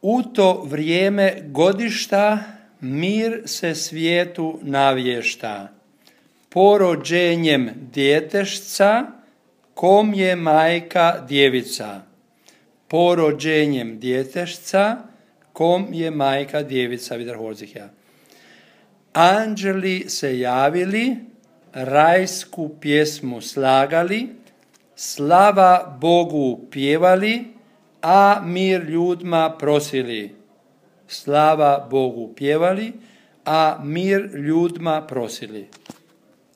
U to vrijeme godišta mir se svijetu navješta. Porođenjem djetešca, kom je majka djevica. Porođenjem djetešca, kom je majka djevica. Wiederholt. Anđeli se javili, rajsku pjesmu slagali, slava Bogu pjevali, a mir ljudima prosili. Slava Bogu pjevali, a mir ljudima prosili.